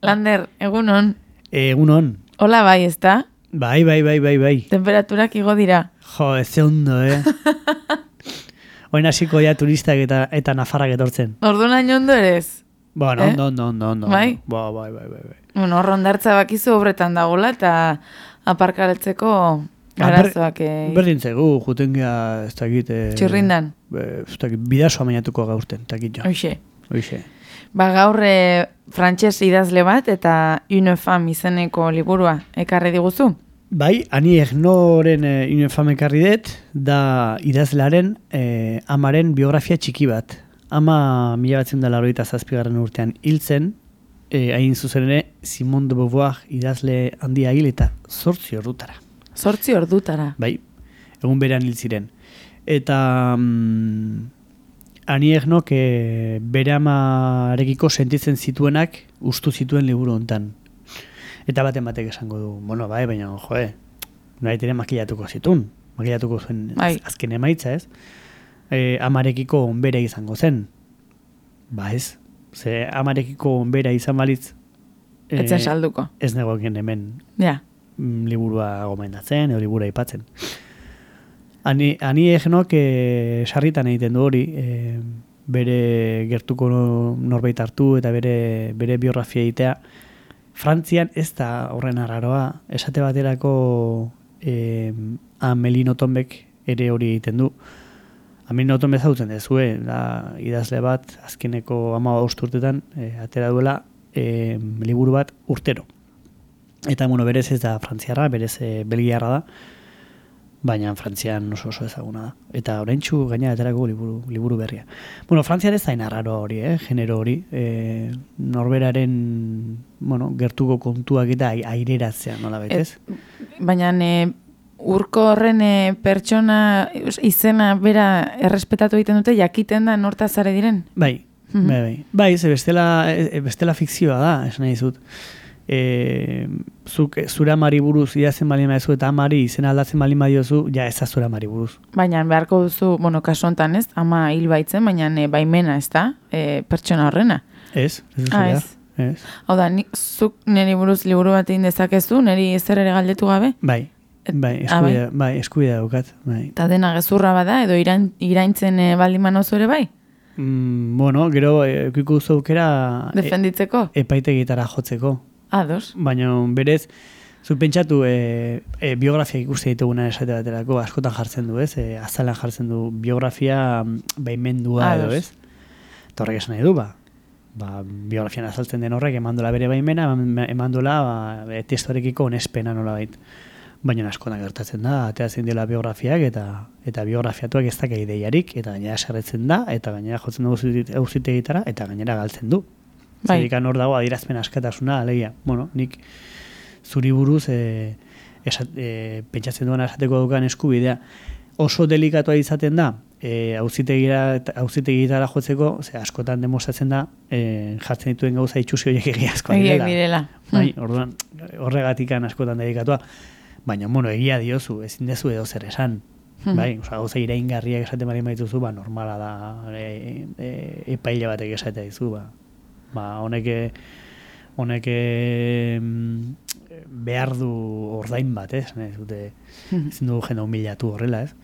Lander, egunon. Egunon. Hola bai, ezta? Bai. Temperaturak igo dira. Jo, ez ze ondo, Oin hasiko ja turistak eta nafarrak etortzen. Orduan hain ondo erez? Bueno, ondo. Bai? Bai. Bueno, rondartza bakizu obretan dagoela eta aparkaletzeko arazoak. Berdin zegu, juten gea, ez dakit... Txirrindan. Ez dakit, bidasoa mainatuko gauzten, takit jo. Hoxe. Ba gaur frantses idazle bat eta Une femme izeneko liburua ekarri diguzu? Bai, Annie Ernauxren Une femme ekarri dut, da idazlearen amaren biografia txiki bat. Ama 1987 urtean hiltzen, hain zuzen ere Simone de Beauvoir idazle handia hil eta 8 ordutara. 8 ordutara? Bai, egun berean hil ziren. Eta Annie Ernaux bere amarekiko sentitzen zituenak ustu zituen liburu hontan. Eta batek esango du, bueno, bai, baina, nahi ere makillatuko zituen. Makillatuko zuen azken emaitza, ez? Amarekiko onbera izango zen. Ba ez, ze amarekiko onbera izan balitz etzen salduko. Ez negoen hemen liburua gomendatzen, edo liburua aipatzen. Annie Ernaux sarritan egiten du hori, bere gertuko norbait hartu eta bere biografia egitea. Frantzian ez da horren arraroa, esate baterako Amélie Nothomb ere hori egiten du. Amélie Nothomb ezagutzen dezue, da idazle bat azkeneko 15 urtetan atera duela liburu bat urtero. Eta berez ez da frantziarra, berez belgiarra da, baina Frantzian oso ezaguna da. Eta oraintsu gaina aterako liburu berria. Frantzian ez da inarraroa hori, genero hori, norberaren, gertuko kontuak eta aireratzea, nola betez? Baina urko horren pertsona izena bera errespetatu egiten dute, jakiten da nortazare diren? Bai, ze bestela fikzioa da, esan nahi dizut. Zure amari buruz idazten bali maizu eta amari izena aldatzen bali maiozu, ja ez da zure amari buruz. Baina beharko duzu, kasu honetan ez, ama hil baitzen, baina baimena ez da, pertsona horrena. Ez zurea. Hau da, zuk niri buruz liburu bat egin dezakezu, niri ezer ere galdetu gabe? Bai, eskubidea daukat. Eta dena gezurra bada, edo iraintzen baldin manozu ere bai? Gero ekuiko duzu aukera defenditzeko? Epaitegitara jotzeko. Ados. Baina berez, zu pentsatu biografia ikuste dituguna esate baterako askotan jartzen du, ez? Azalan jartzen du biografia baimendua edo, ez? Eta horrek esan nahi du, biografian azaltzen den horrek emandola bere baimena, emandola testorekiko onespena nola bait. Baina askotan gertatzen da, ateratzen dela biografiak eta biografiatuak ez daka ideiarik, eta gainera serretzen da, eta gainera jotzen dugu auzitegitara, eta gainera galtzen du. Zerikan hor dago adierazpen askatasuna, alegia. Nik zuri buruz pentsatzen duan esateko dukan eskubidea oso delikatua izaten da, auzitegitara jotzeko, askotan demostratzen da, jartzen dituen gauza itxusi horiek egiazkoa direla. Orduan, horregatikan askotan delikatua. Baina, egia diozu, ezin dezu edo zer esan. Gauza iraingarriak esaten bali maituzu, normala da epaile batek esatea dizu, honek behar du ordain bat, ez? Ezin dugu jende humilatu horrela, ez?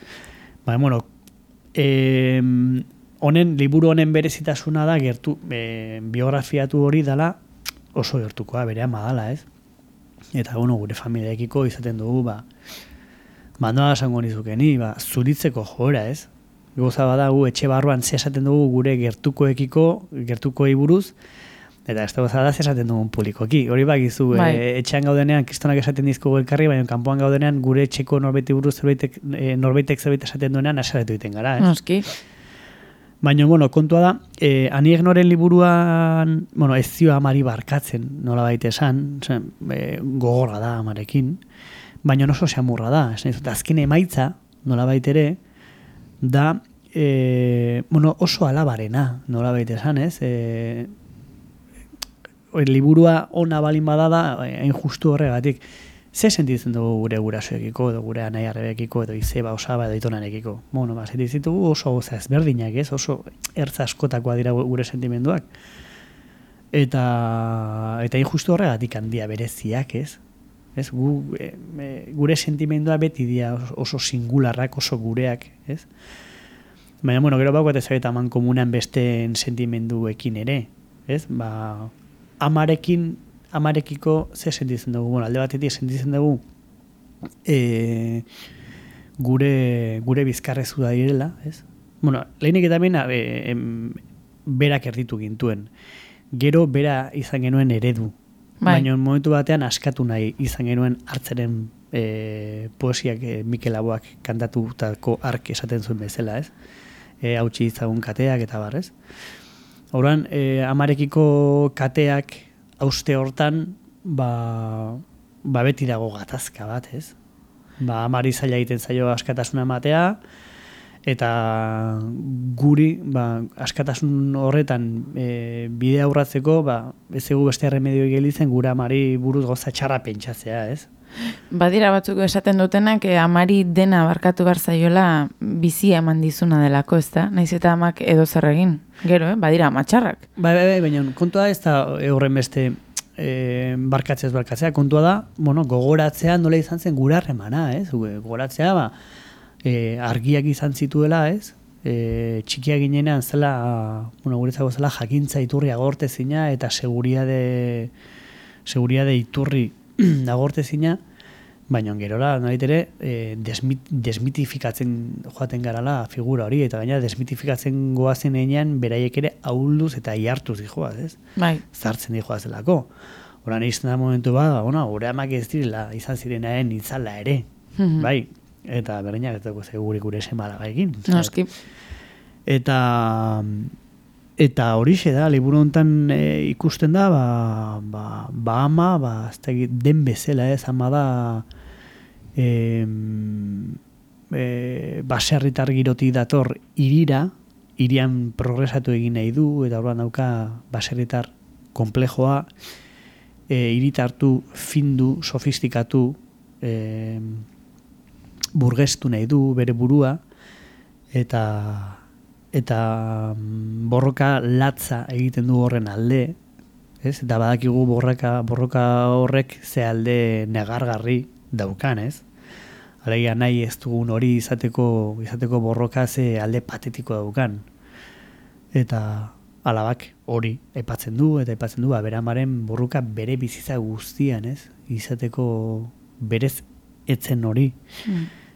Liburu honen berezitasuna da biografiatu hori dela oso gertukoa, bere ama dala, ez? Eta, gure familiaekiko izaten dugu, noa esango nizukeni, zuritzeko joera, ez? Goza bada gu etxe barruan esaten dugu gure gertukoei buruz, eta ez da esaten dugun publikoki. Hori bakizu, etxean gaudenean kristonak esaten dizko elkarri, baina kanpoan gaudenean gure etxeko norbaiti buruz norbaitek zerbait esaten duenean asaretu egiten gara. Noski. Baina, kontua da, Annie Ernauxren liburuan, ez zio amari barkatzen, nola baita esan, gogorra da amarekin, baina oso xamurra da. Azken emaitza, nola baita ere, da oso alabarena, nola baita esan, ez? Liburua ona balin badada, hain justu horregatik. Ze sentitzen dugu gure gurasoekiko, edo gure anai arrebekiko, edo izeba, osaba, edo itonarekiko? Sentitzen dugu oso goza ezberdinak, ez? Oso ertza askotakoa dira gure sentimenduak. Eta injustu horregatik handia bereziak, ez? Ez, gure sentimendua beti dira oso singularrak, oso gureak, ez? Baina, bueno, gero baukat ezageta eman komunan besteen sentimenduekin ere, ez? Amarekiko ze sentitzen dugu, bueno, alde batetik sentitzen dugu gure bizkarrezu da direla, ez? Bueno, lehenik eta berak erditu gintuen. Gero bera izan genuen eredu. Baina momentu batean askatu nahi izan genuen hartzeren poesiak Mikel Laboak kantatutako ark esaten zuen bezala, ez? Hautsi izagun kateak eta bar, ez? Horan, amarekiko kateak hauste hortan, beti dago gatazka bat, ez? Amari zaila egiten zaio askatasuna ematea, eta guri, askatasun horretan bide aurratzeko, ez egu beste remedio gelitzen gure amari buruz goza txarra pentsatzea, ez? Badira batzuk esaten dutenak amari dena barkatu behar zaiola bizia eman dizuna delako, ez da? Naiz eta amak edo zer egin. Gero, badira amatxarrak. Baina kontua ez da horren beste barkatzea. Kontua da, gogoratzea nola izan zen gure harremana, ez? Gogoratzea, argiak izan zituela, ez? Txikia ginenean zela, guretzako zela jakintza iturri agortezina eta seguriade iturri agortezina, baina gerora ere desmitifikatzen joaten garala figura hori, eta gaina desmitifikatzen goazen enean beraiek ere ahulduz eta iartuz dijoaz, ez? Bai. Zartzen dijoaz delako. Horan izan da momentu gure amak ez direla izan zirenaren itzala ere, bai? Eta berreinak ez dugu gure semala gaikin. Noski. Eta horixe da, liburu honetan ikusten da, ama, den bezala, ez, ama da baserritar girotik dator hirian progresatu egin nahi du, eta horban dauka baserritar komplejoa, hiritartu, findu, sofistikatu, burgestu nahi du bere burua, eta borroka latza egiten du horren alde, ez? Eta badakigu borroka horrek ze alde negargarri daukan, ez? Alegia nahi ez dugun hori izateko borroka ze alde patetiko daukan. Eta alabak hori aipatzen du, bere amaren borroka bere bizitza guztian, ez? Izateko berez etzen hori.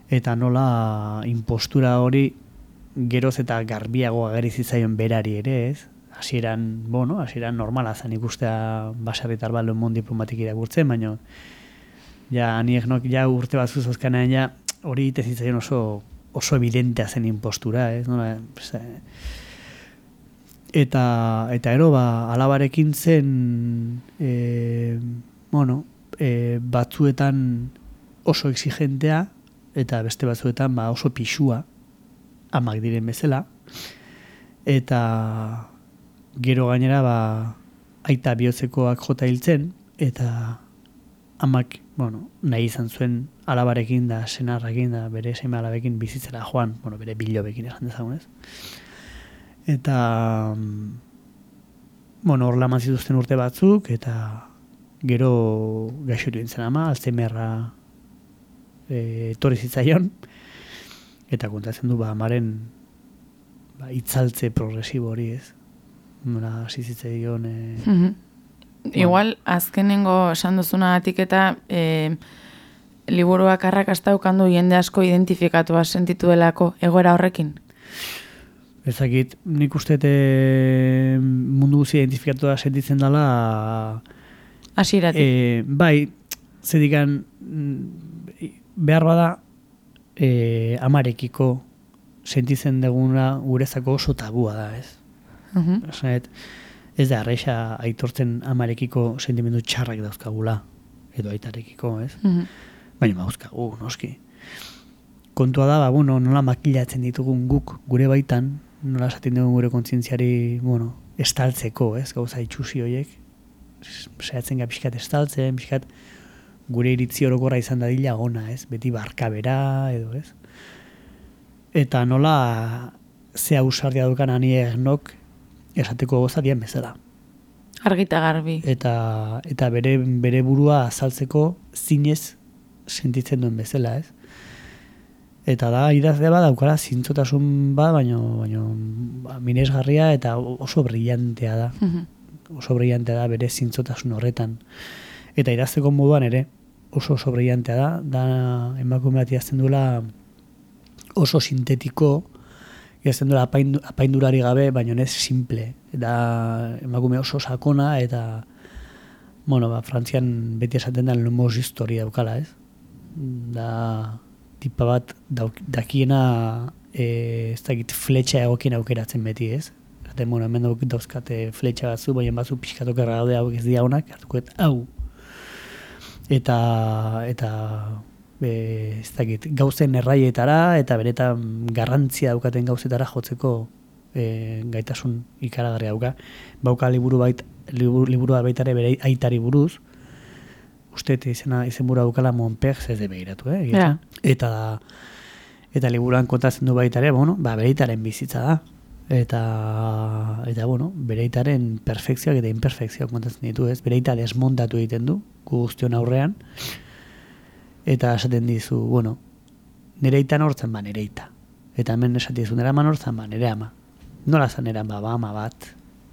Eta nola impostura hori geroz eta garbiago ageri zitzaion berari ere, ez? Hasieran normala zen ikustea baserritar bat Le Monde diplomatik irakurtzen, baina anieknok urte bat zuzazkanean hori ite zitzaion oso evidentea zen impostura, ez? Eta ero, alabarekin zen batzuetan oso exigentea, eta beste batzuetan oso pixua, amak diren bezala, eta gero gainera aita bihotzekoak jota hiltzen, eta amak, nahi izan zuen alabarekin da, senarrakin da, bere seme alabekin bizitzera joan, bere bilobekin esan dezagunez. Eta, hor laman zituzten urte batzuk, eta gero gaixotu dintzen ama, Alzheimerra etorri zitzaion, eta kontatzen du amaren itzaltze progresibo hori, ez? Nola hasi zitzaion Igual, azkenengo esan duzunagatik eta liburuak arrakasta ukandu jende asko identifikatua sentitu delako egoera horrekin? Ezakit, nik uste mundu guzia identifikatua sentitzen dela hasieratik. Bai, zedikan behar bada amarekiko sentitzen duguna gurezako oso tabua da, ez? Ez da arraixa aitortzen amarekiko sentimendu txarrak dauzkagula, edo aitarekiko, ez? Baina dauzkagu, noski. Kontua da, nola makilatzen ditugun guk gure baitan, nola esaten dugun gure kontzientziari, estaltzeko, ez? Gauza itxusi horiek, saiatzen pixkat estaltzen, pixkat gure iritzi orokorra izan dadila ona, ez? Beti barkabera, edo, ez? Eta nola ze ausardia dukan anieknok esateko gozatien bezala. Argita garbi. Eta bere burua azaltzeko zinez sentitzen duen bezala, ez? Eta da, idazle bat daukala zintzotasun bat, baino minesgarria eta oso brillantea da. Oso brillantea da bere zintzotasun horretan. Eta idazteko moduan ere oso brillantea da emakume bat idazten duela oso sintetiko, idazten duela apaindurari gabe, baino ez simple. Da emakume oso sakona eta Frantzian beti esaten da lumos historia daukala, ez? Da tipa bat dakiena ez dakit fletxa egokien aukeratzen beti, ez? Hemen dauzkate fletxa batzu, baina batzu pixkatok erragaude hau ez dira honak, hartukoet hau. Eta ez dakit, gauzen erraietara eta benetan garrantzia daukaten gauzetara jotzeko gaitasun ikaragarria dauka. Bauka liburu baitare bere aitari buruz, uste izenburu daukala Monpers ez de behiratu, Yeah. Eta liburuan kontatzen du baitare, bere aitaren bizitza da. Eta bere aitaren perfekzioak eta imperfekzioak kontatzen ditu, ez? Bere aita desmontatu egiten du, guztion aurrean, eta esaten dizu, nire aita nortzen, nire aita. Eta hemen esaten dizu, nire ama nortzen, nire ama. Nola zan nire ama bat,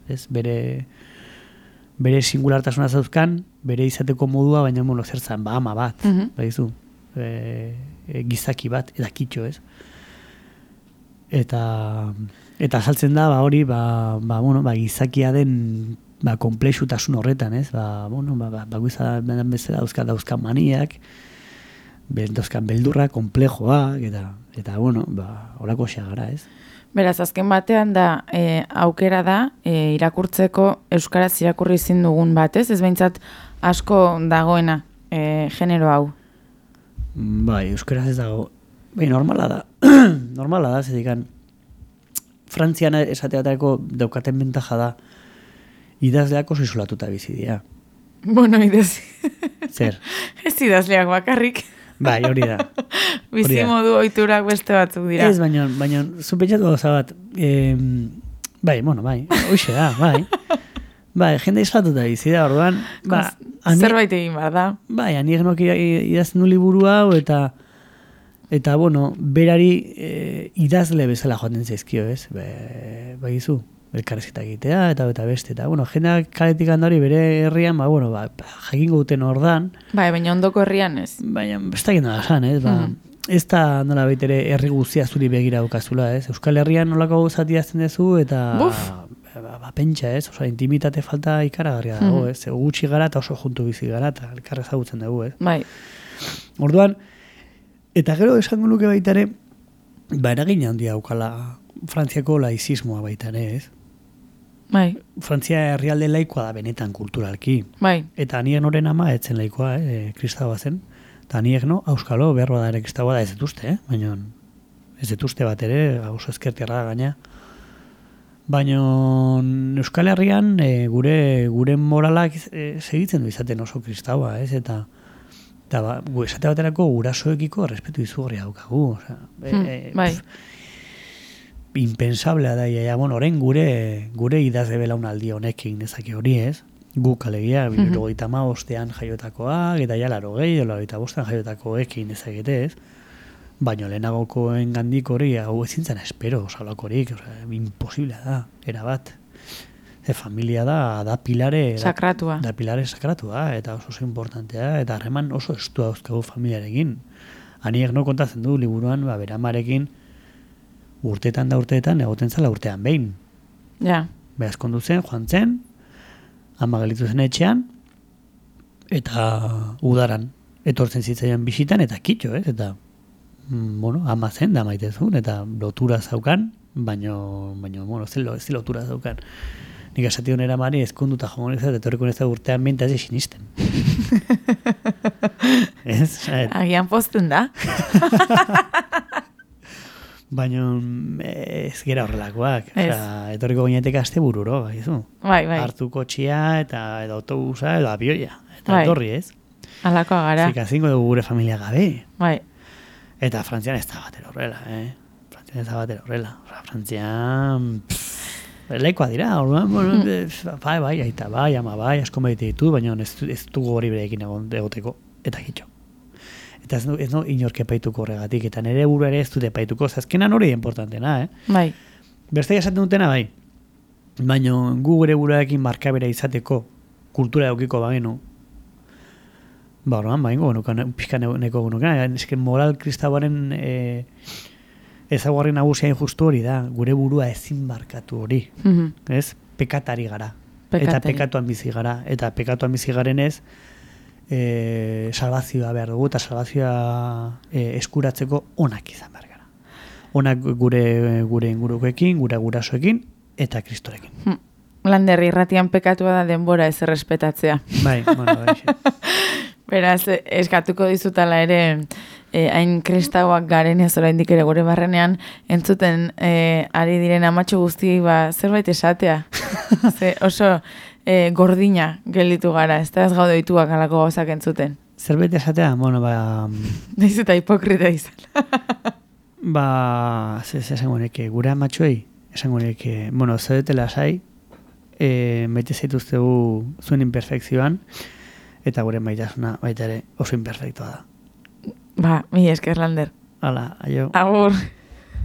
ez? Bere singulartasuna zauzkan, bere izateko modua, baina zertzen, ama bat, baizu, gizaki bat, eta kitxo, ez? Eta azaltzen da, hori, gizakia den komplexutasun horretan, ez? Bagoiza bezala dauzkan maniak, dauzkan beldurra, komplejoak, eta horako gara, ez? Beraz, azken batean da, aukera da, irakurtzeko euskaraz irakurri ezin dugun bat, ez? Ez behintzat asko dagoena genero hau. Bai, euskaraz ez dago. Bai, normala da. Normala da, zedikan. Frantzian esateatareko daukaten bentaja da, idazleak oso isolatuta bizi dira. Zer? Ez idazleak bakarrik. Bai, hori da. Bizi modu ohiturak beste batzuk dira. Ez, baina zupentsatu gauza bat, bai, hoxe da, bai. Bai, jende isolatuta bizi da, orduan. Zerbait egin behar da. Bai, anik nok idazten du liburu hau, eta berari idazle bezala joaten zaizkio, ez? Baizu, elkarrezketa egitea, eta beste, eta, jendeak kaletik handari bere herrian, jakingo duten ordan. Bai, baina ondoko herrian ez. Baina, bestak nola esan, ez? Ez da nola baitere herri guztia zuri begira daukazula, ez? Euskal Herrian nolako zati azten dezu, eta pentsa, ez? Osa, intimitate falta ikaragarria dago, ez? Gutxi gara eta oso juntu bizi gara, eta elkarra ezagutzen dugu, ez? Bai. Orduan, eta gero esango nuke baitare, eragina handia daukala Frantziako laizismoa baitare, ez? Bai. Frantzia herrialde laikoa da benetan kulturalki. Bai. Eta nien horren ama etzen laikoa, kristaua zen. Eta niek auskalo behar da ere kristaua da ez detuzte, baina ez detuzte bat ere, oso ezkertiarra da gaina. Baina Euskal Herrian gure moralak segitzen du izaten oso kristaua, ez? Eta esate baterako gurasoekiko respetu izugarria daukagu. Bai. Impensablea da, orain gure idazle belaunaldi honekin nezake hori, ez? Guk alegia, 75ean jaiotakoak, eta ja 85ean jaiotakoekin ezagete, ez? Baina lehenagokoen gandik hori, hau ezintzen espero, salakorik, imposiblea da, erabat. Familia da pilare... Sakratua. Da pilare sakratua, eta oso importantea, eta harreman oso estua dauzkagu familiarekin. Aniek kontatzen du liburuan, bere amarekin, urteetan egoten zela urtean behin. Ja. Behazkondu zen, joan zen, ama gelitu zen etxean, eta udaran, etortzen zitzaian bisitan, eta kitxo, ez? Eta, ama zen da maitezun, eta lotura zaukan, baino, ez lotura zaukan. Nik esation eramari ezkonduta jomonezat, etorriko nezat urtean behin, eta ez sinisten. Agian pozten da. Baina ez gera horrelakoak. Etorriko ginetek aste bururo, gaizu. Bai. Hartu kotxia, eta autobusa, edo abioia. Eta etorri, ez? Alakoa gara. Zikazingo dugu gure familia gabe. Bai. Eta Frantzian ez da batera horrela, Frantzian... laikoa dira, orduan, bai, aita, bai, ama, bai, asko medite ditu, baina ez dugu hori berekin egoteko, eta gitxo. Eta ez no inork epaituko horregatik, eta nire burua ere ez dute epaituko, azkenan hori importantena, Bai. Beste esaten dutena, bai, baina gu gure buruarekin markabera izateko, kultura eukiko bagenu, orduan, pixka neko genukan, esken moral kristauaren ezaguarri nagusia injustu hori da, gure burua ezin markatu hori, ez? Pekatari gara, eta pekatuan bizi gara, eta pekatuan bizi garen ez, salvazioa behar dugu, eta salvazioa eskuratzeko onak izan behar gara. Onak gure ingurukoekin, gure gurasoekin, eta kristorekin. Lander, irratian pekatua da denbora ez errespetatzea. Bai. Beraz, eskatuko dizutala ere, hain kristauak garen ez oraindik ere gure barrenean, entzuten ari diren amatxo guztiei zerbait esatea. Oso gordina gelditu gara, ez da ez gaude dituak alako gauzak entzuten. Zerbait esatea? Naiz eta hipokrita izan. Esango neke, gure amatxoei, esango neke, zaudetela sai, maite zaituztegu zuen imperfekzioan, eta gure maitasuna baita ere oso imperfektua da. Mila esker, Lander. Hala, aio. Agur.